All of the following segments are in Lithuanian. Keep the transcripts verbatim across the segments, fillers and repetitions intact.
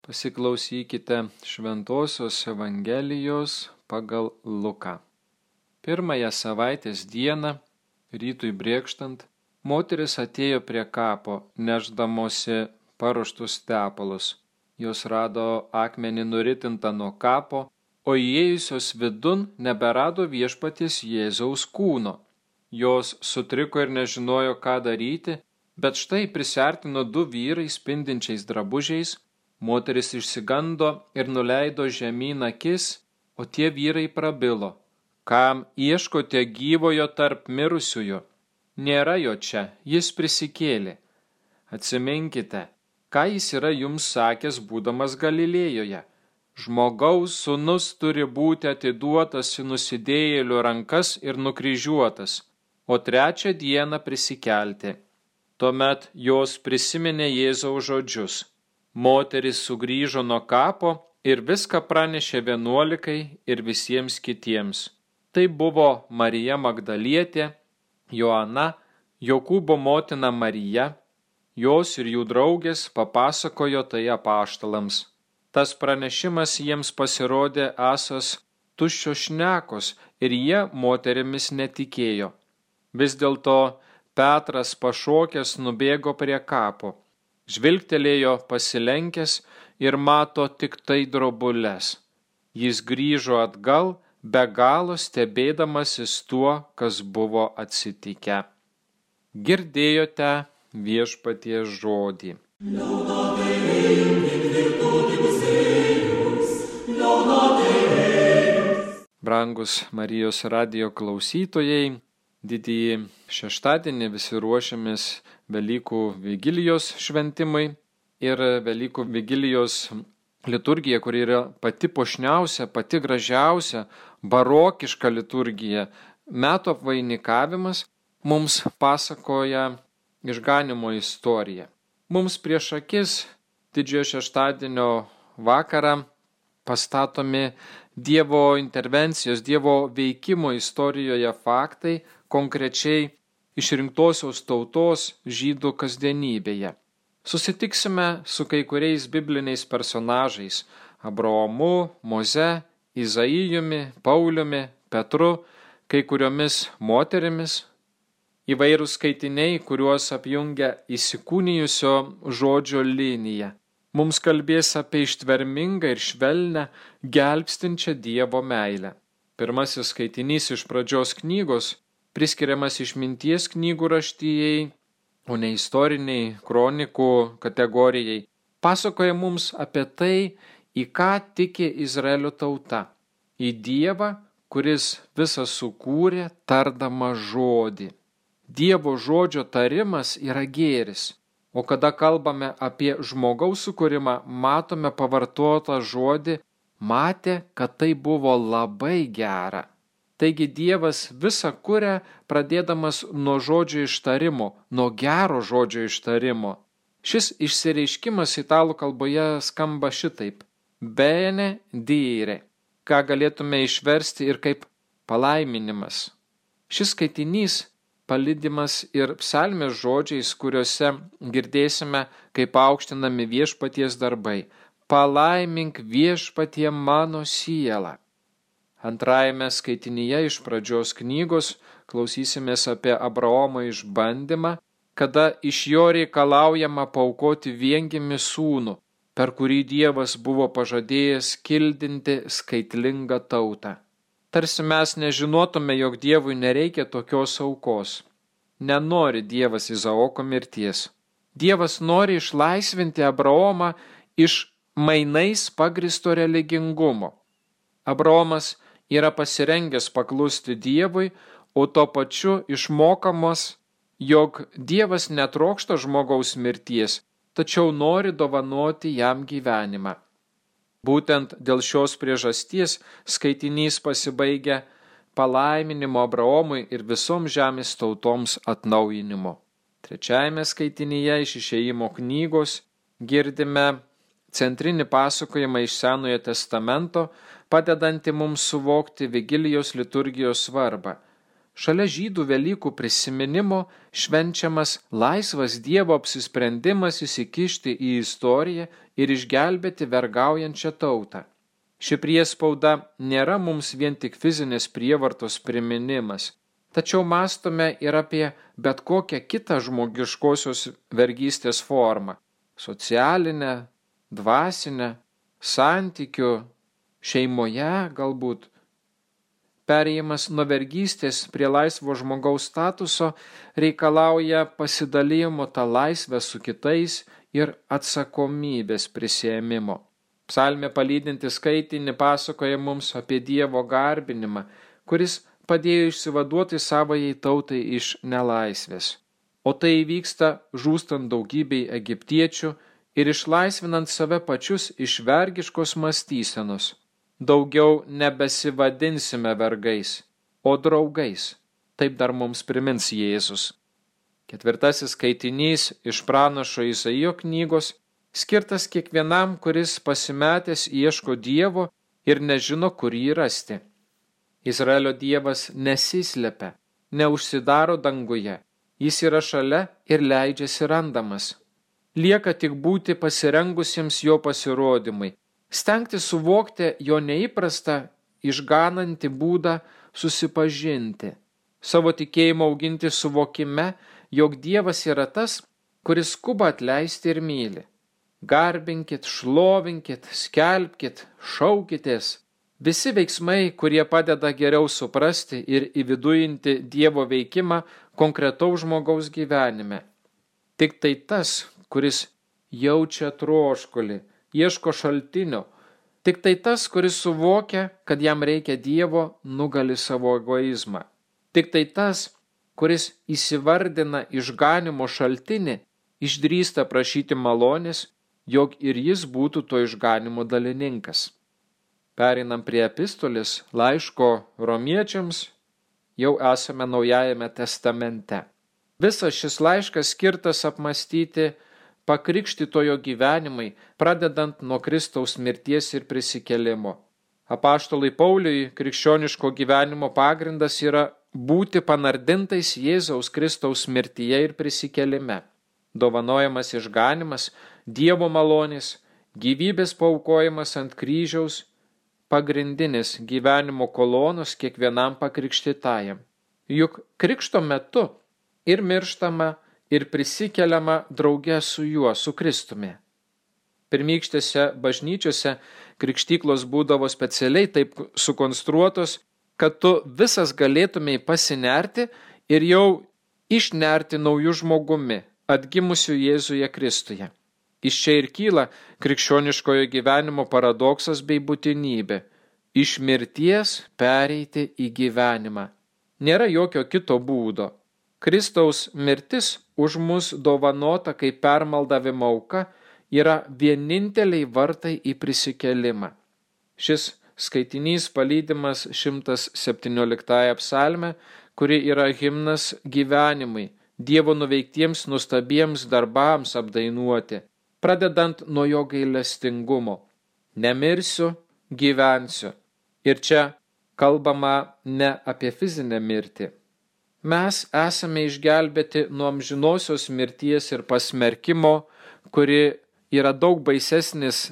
Pasiklausykite Šventosios Evangelijos pagal Luką. Pirmąją savaitės dieną, rytui brėkštant, moteris atėjo prie kapo, nešdamosi paruoštus tepalus. Jos rado akmenį nuritintą nuo kapo, o įėjusios vidun neberado viešpaties Jėzaus kūno. Jos sutriko ir nežinojo, ką daryti, bet štai prisiartino du vyrai spindinčiais drabužiais. Moteris išsigando ir nuleido žemyn akis, o tie vyrai prabilo: kam ieškote gyvojo tarp mirusiųjų? Nėra jo čia, jis prisikėlė. Atsiminkite, ką jis yra jums sakęs būdamas Galilėjoje. Žmogaus sūnus turi būti atiduotas į nusidėjėlių rankas ir nukryžiuotas, o trečią dieną prisikelti. Tuomet jos prisiminė Jėzaus žodžius. Moteris sugrįžo nuo kapo ir viską pranešė vienuolikai ir visiems kitiems. Tai buvo Marija Magdalietė, Joana, Jokūbo motina Marija. Jos ir jų draugės papasakojo tai apaštalams. Tas pranešimas jiems pasirodė esąs tuščios šnekos ir jie moterimis netikėjo. Vis dėlto Petras pašokęs nubėgo prie kapo. Žvilgtelėjo pasilenkęs ir mato tik tai drobules. Jis grįžo atgal, be galo stebėdamasis tuo, kas buvo atsitikę. Girdėjote viešpaties žodį. Brangus Marijos radijo klausytojai, didįjį šeštadienį visi ruošiamės Velykų vigilijos šventimai ir Velykų vigilijos liturgija, kuri yra pati puošniausia, pati gražiausia, barokiška liturgija, metų apvainikavimas, mums pasakoja išganymo istoriją. Mums prieš akis didžiojo šeštadienio vakarą pastatomi Dievo intervencijos, Dievo veikimo istorijoje faktai, konkrečiai išrinktosios tautos žydų kasdienybėje. Susitiksime su kai kuriais bibliniais personažais – Abraomu, Moze, Izaijumi, Pauliumi, Petru, kai kuriomis moterimis. Įvairūs skaitiniai, kuriuos apjungia įsikūnijusio žodžio linija. Mums kalbės apie ištvermingą ir švelnią, gelbstinčią Dievo meilę. Pirmasis skaitinys iš pradžios knygos priskiriamas išminties knygų raštijai, o ne istoriniai kronikų kategorijai, pasakoja mums apie tai, į ką tiki Izraelio tauta. Į Dievą, kuris visą sukūrė tardama žodį. Dievo žodžio tarimas yra gėris, o kada kalbame apie žmogaus sukūrimą, matome pavartotą žodį, matė, kad tai buvo labai gera. Taigi Dievas visą kuria pradėdamas nuo žodžio ištarimo, nuo gero žodžio ištarimo. Šis išsireiškimas italų kalboje skamba šitaip: bene dire, ką galėtume išversti ir kaip palaiminimas. Šis skaitinys palydimas ir psalmės žodžiais, kuriuose girdėsime, kaip aukštinami viešpaties darbai. Palaimink viešpatie mano sielą. Antrajame skaitinyje iš pradžios knygos klausysimės apie Abraomo išbandymą, kada iš jo reikalaujama paaukoti viengimį sūnų, per kurį Dievas buvo pažadėjęs kildinti skaitlingą tautą. Tarsi mes nežinotume, jog Dievui nereikia tokios aukos. Nenori Dievas Izaoko mirties. Dievas nori išlaisvinti Abraomą iš mainais pagristo religingumo. Abraomas yra pasirengęs paklusti Dievui, o tuo pačiu išmokamas, jog Dievas netrokšta žmogaus mirties, tačiau nori dovanoti jam gyvenimą. Būtent dėl šios priežasties skaitinys pasibaigia palaiminimo Abraomui ir visoms žemės tautoms atnaujinimo. Trečiajame skaitinyje iš Išėjimo knygos girdime centrinį pasakojimą iš Senojo testamento, padedantį mums suvokti vigilijos liturgijos svarbą. Šalia žydų Velykų prisiminimo švenčiamas laisvas Dievo apsisprendimas įsikišti į istoriją ir išgelbėti vergaujančią tautą. Ši priespauda nėra mums vien tik fizinės prievartos priminimas, tačiau mąstome ir apie bet kokią kitą žmogiškosios vergystės formą – socialinę, dvasinę, santykių, šeimoje galbūt. Perėjimas nuo vergystės prie laisvo žmogaus statuso reikalauja pasidalijimo tą laisvę su kitais ir atsakomybės prisiėmimo. Psalmė palydinti skaitinį pasakoja mums apie Dievo garbinimą, kuris padėjo išsivaduoti savajai tautai iš nelaisvės. O tai įvyksta žūstant daugybei egiptiečių ir išlaisvinant save pačius iš vergiškos mąstysenos. Daugiau nebesivadinsime vergais, o draugais. Taip dar mums primins Jėzus. Ketvirtasis skaitinys iš pranašo Izaijo knygos skirtas kiekvienam, kuris pasimetęs ieško Dievo ir nežino, kur jį rasti. Izraelio Dievas nesislepia, neužsidaro danguje, jis yra šalia ir leidžiasi randamas. Lieka tik būti pasirengusiems jo pasirodymui, stengti suvokti jo neįprastą, išganantį būdą susipažinti, savo tikėjimą auginti suvokime, jog Dievas yra tas, kuris skuba atleisti ir myli. Garbinkit, šlovinkit, skelbkit, šaukitės. Visi veiksmai, kurie padeda geriau suprasti ir įvidujinti Dievo veikimą konkretaus žmogaus gyvenime. Tik tai tas, kuris jaučia troškulį, ieško šaltinio, tik tai tas, kuris suvokia, kad jam reikia Dievo, nugali savo egoizmą. Tik tai tas, kuris įsivardina išganimo šaltinį, išdrįsta prašyti malonės, jog ir jis būtų to išganimo dalininkas. Pereinam prie epistolės laiško romiečiams, jau esame Naujajame testamente. Visas šis laiškas skirtas apmąstyti pakrikštytojo gyvenimai, pradedant nuo Kristaus mirties ir prisikėlimo. Apaštalui Pauliui krikščioniško gyvenimo pagrindas yra būti panardintais Jėzaus Kristaus mirtyje ir prisikėlime. Dovanojamas išganimas, Dievo malonės, gyvybės paaukojimas ant kryžiaus, pagrindinis gyvenimo kolonos kiekvienam pakrikštytajam. Juk krikšto metu ir mirštama, ir prisikeliama drauge su juo, su Kristumi. Pirmykštėse bažnyčiose krikštyklos būdavo specialiai taip sukonstruotos, kad tu visas galėtumei pasinerti ir jau išnerti naujų žmogumi, atgimusių Jėzuje Kristuje. Iš čia ir kyla krikščioniškojo gyvenimo paradoksas bei būtinybė – iš mirties pereiti į gyvenimą. Nėra jokio kito būdo. Kristaus mirtis už mus dovanota kaip permaldavimo auka yra vieninteliai vartai į prisikėlimą. Šis skaitinys palydimas šimtas septynioliktąja psalme, kuri yra himnas gyvenimui, Dievo nuveiktiems nuostabiems darbams apdainuoti, pradedant nuo jo gailestingumo. Nemirsiu, gyvensiu. Ir čia kalbama ne apie fizinę mirtį. Mes esame išgelbėti nuo amžinosios mirties ir pasmerkimo, kuri yra daug baisesnis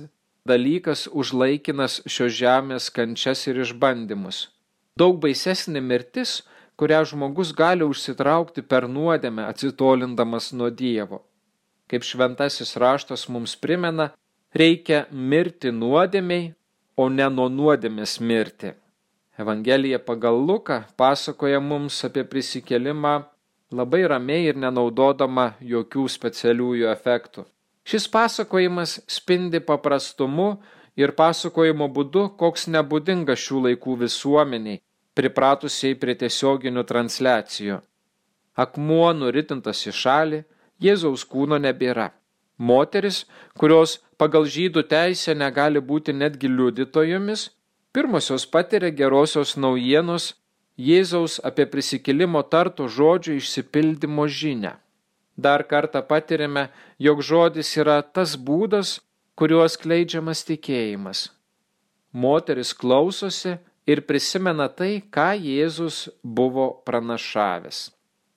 dalykas už laikinas šios žemės kančias ir išbandymus. Daug baisesnė mirtis, kurią žmogus gali užsitraukti per nuodėmę, atsitolindamas nuo Dievo. Kaip šventasis raštas mums primena, reikia mirti nuodėmei, o ne nuo nuodėmės mirti. Evangelija pagal Luką pasakoja mums apie prisikėlimą labai ramiai ir nenaudodama jokių specialiųjų efektų. Šis pasakojimas spindi paprastumu ir pasakojimo būdu, koks nebūdingas šių laikų visuomeniai, pripratusiai prie tiesioginių transliacijų. Akmuo nuritintas į šalį, Jėzaus kūno nebėra. Moteris, kurios pagal žydų teisę negali būti netgi liudytojomis, pirmosios patiria gerosios naujienos Jėzaus apie prisikėlimo tarto žodžių išsipildymo žinią. Dar kartą patirime, jog žodis yra tas būdas, kuriuo skleidžiamas tikėjimas. Moteris klausosi ir prisimena tai, ką Jėzus buvo pranašavęs.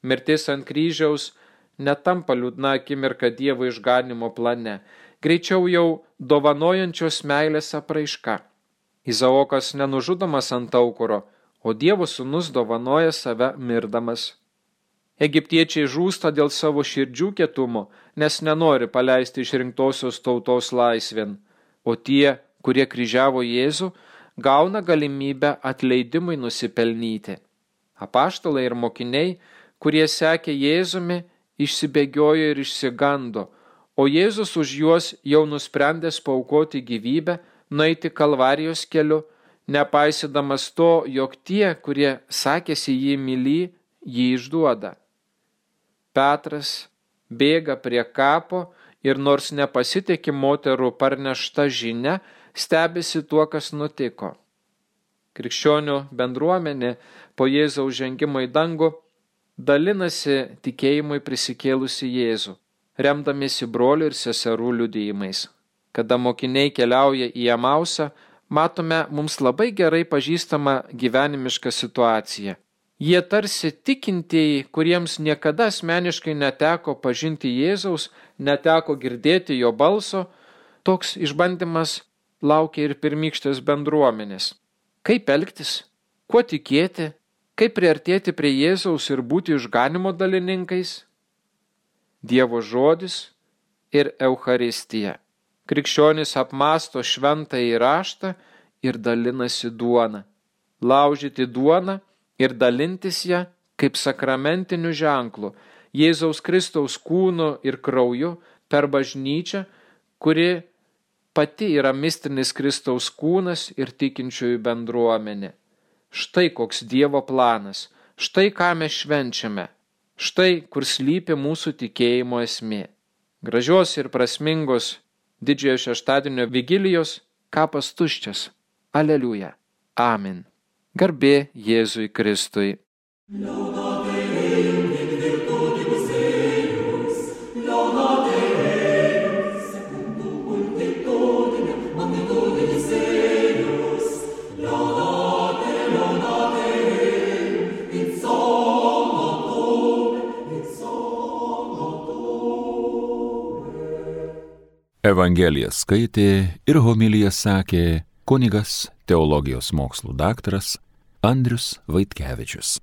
Mirtis ant kryžiaus netampa liūdna akimirka Dievo išganimo plane, greičiau jau dovanojančios meilės apraiška. Izaokas nenužudomas ant aukuro, o Dievo sūnus dovanoja save mirdamas. Egiptiečiai žūsta dėl savo širdžių kietumo, nes nenori paleisti išrinktosios tautos laisvėn, o tie, kurie kryžiavo Jėzų, gauna galimybę atleidimui nusipelnyti. Apaštalai ir mokiniai, kurie sekė Jėzumi, išsibėgiojo ir išsigando, o Jėzus už juos jau nusprendęs paaukoti gyvybę, nueiti Kalvarijos keliu, nepaisydamas to, jog tie, kurie sakėsi jį mylį, jį išduoda. Petras bėga prie kapo ir nors nepasitikė moterų parnešta žinia, stebisi tuo, kas nutiko. Krikščionių bendruomenė po Jėzaus žengimo į dangų dalinasi tikėjimui prisikėlusi Jėzų, remdamiesi brolių ir seserų liudijimais. Kada mokiniai keliauja į Emausą, matome mums labai gerai pažįstamą gyvenimišką situaciją. Jie tarsi tikintieji, kuriems niekada asmeniškai neteko pažinti Jėzaus, neteko girdėti jo balso, toks išbandymas laukia ir pirmykštės bendruomenės. Kaip elgtis, kuo tikėti, kaip priartėti prie Jėzaus ir būti išganimo dalininkais? Dievo žodis ir Eucharistija. Krikščionys apmąsto šventąjį raštą ir dalinasi duona. Laužyti duoną ir dalintis ją kaip sakramentiniu ženklu, Jėzaus Kristaus kūnu ir krauju per bažnyčią, kuri pati yra mistinis Kristaus kūnas ir tikinčiųjų bendruomenė. Štai koks Dievo planas, štai ką mes švenčiame, štai kur slypi mūsų tikėjimo esmė. Gražios ir prasmingos didžiojo šeštadienio vigilijos, kapas tuščias. Aleliuja. Amen. Garbė Jėzui Kristui. Evangeliją skaitė ir homiliją sakė kunigas, teologijos mokslų daktaras Andrius Vaitkevičius.